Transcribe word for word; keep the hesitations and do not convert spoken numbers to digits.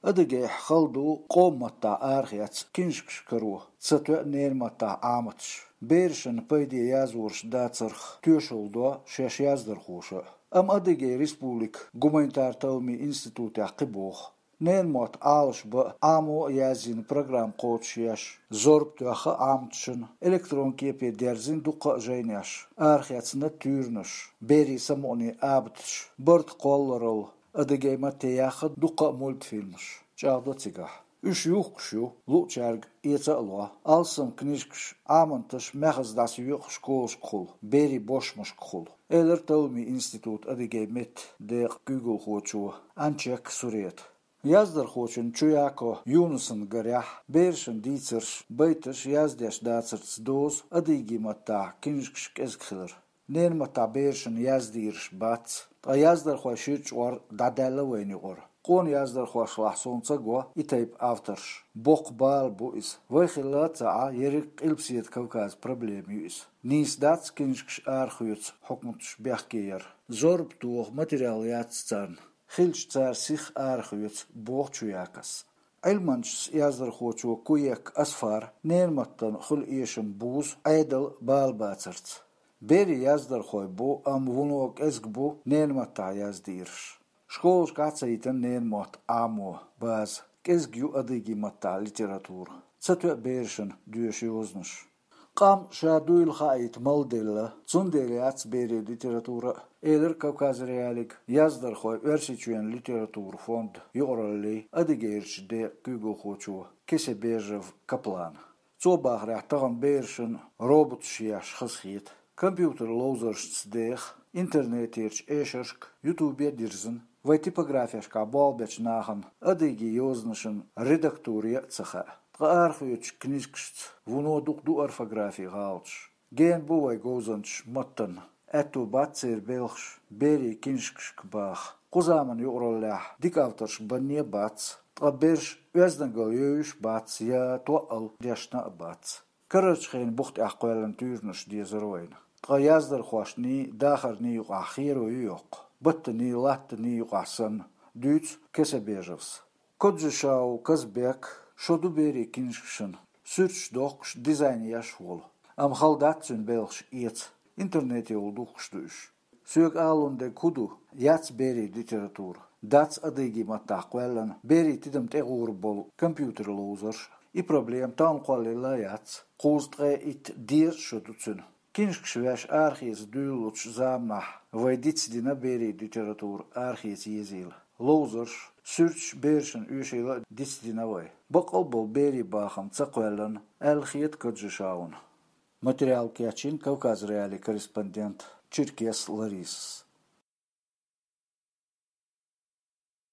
Адыгейхь хала ду къоман маттахь арахецна книжкаш каро, ца тоьа ненан маттахь Ӏаматаш. Берашна пайде язъеш дацарх тоьшалла до шаьш яздархоша. Амма Адыгейн Республикан гуманитаран талламийн институтехь кхин боху. Ненан мотт Ӏалашбан а, Ӏамо а язйина программа кхочушъеш, зорба тоьхна Ӏаматашна, электрон кепе дерзийна дуккха а жайнаш, арахецна туьйранаш, берийн самукъане абаташ, барта кхолларалла, адыгейн матте яьхна дуккха а мультфильмаш. ЧӀагӀдо цигахь. Уьш юхкуш ю, луучаьрга эца а ло, алсам книжкаш, Ӏаматаш маьхаза дӀасайоькъу школашкахула, берийн бошмашкахула, элира талламийн институтан адыгейн меттан декъан куьйгалхочо Анчек Сурета. Яздархочун Чуяко Юнусан гарехь, берашна дийцарш, байташ яздеш дацарца дозу адыгейн маттахь книжкаш кӀезиг хилар. Ненан маттахь берашна яздийраш бац, ткъа яздархойн шира чкъор дӀадаьлла вайна юкъара. Къона яздархошлахь суна ца го и тайпа авторш. Боккха бала бу иза. Вай хилла а ца Ӏа, ерриг Къилбаседа Кавказан проблема ю иза. Нийса дац книжкаш арахоьцу хьукматаш бехке яр. Зорба тоха материал яц царна. Хилча цара сиха арахоьцу, боху Чуякос. Ӏилманчас яздархочо Куек Асфара ненан маттана хуьлу эшам бузу Ӏедал бала бацарца. Берийн яздархой бу, амма вуно кӀезиг бу ненан маттахь яздийраш. Школашкахь а ца йитина ненан мотт Ӏамо база, кӀезиг ю адыгейн маттахь литература. Ца тоьа берашна доьшу йозанаш. Къам ша дуйла хаийта мала делла, цундела яц берийн литература а, элира Кавказ.Реалиига яздархойн Оьрсийчоьнан литературан фондан юкъараллин адыгейрчу декъан куьйгалхочо Кесебежев Каплана. Цо бахарехь, тахана берашна роботаш еш хазахета. Компьютеран ловзаршца деха, интернетерчу эшаршка, ютубе а дирзина, вайн типографешкахь болх бечу нахана адыгейн йозанашна редактура ян а ца хаьа. Ткъа арахоьцучу книжкашца вуно дукха ду орфографин гӀалаташ. Гена бу вайн говзанчаш маттана. Аьтту бац церан белхаш берийн книжкашка баха. Кху заманан юкъараллехь дика авторш банне а бац, ткъа бераш оьздангалла йовзуш а бац я тоъал дешна а бац. Карарчу хенан бух тӀехь кхоьллина туьйранаш дезара вайна. Ткъа яздархошний, дахарний юкъахь херо ю йоккха, баттаний, латтаний юкъахь санна, дуьйцу Кесебежевс. Коджишау Казбек шо ду берийн книжкашна, суьрташ дохкуш, дизайн еш волу. Амма хала дац цуьнан белхаш эца, интернетехула духкуш ду уьш. Соьга алун дерг хӀун ду, яц берийн литература, дац адыгейн маттахь кхоьллина, берийн тидам тӀегӀур болу компьютеран ловзарш а. И проблема тахана кхоллаелла а яц, кхузткъе итт, дезткъа шо ду цуьнан. Книжкаш веш арахеца дуьйлалучу заманахь вай дицдина берийн литература арахеца езийла. Ловзарш, суьрташ берашна оьшийла а дицдина вай. Баккъал а болу берийн бахам ца кхоьллина, аьлла хета Коджишауна. Материал кечйина Кавказ.Реалиин корреспондент Черкес Ларисас.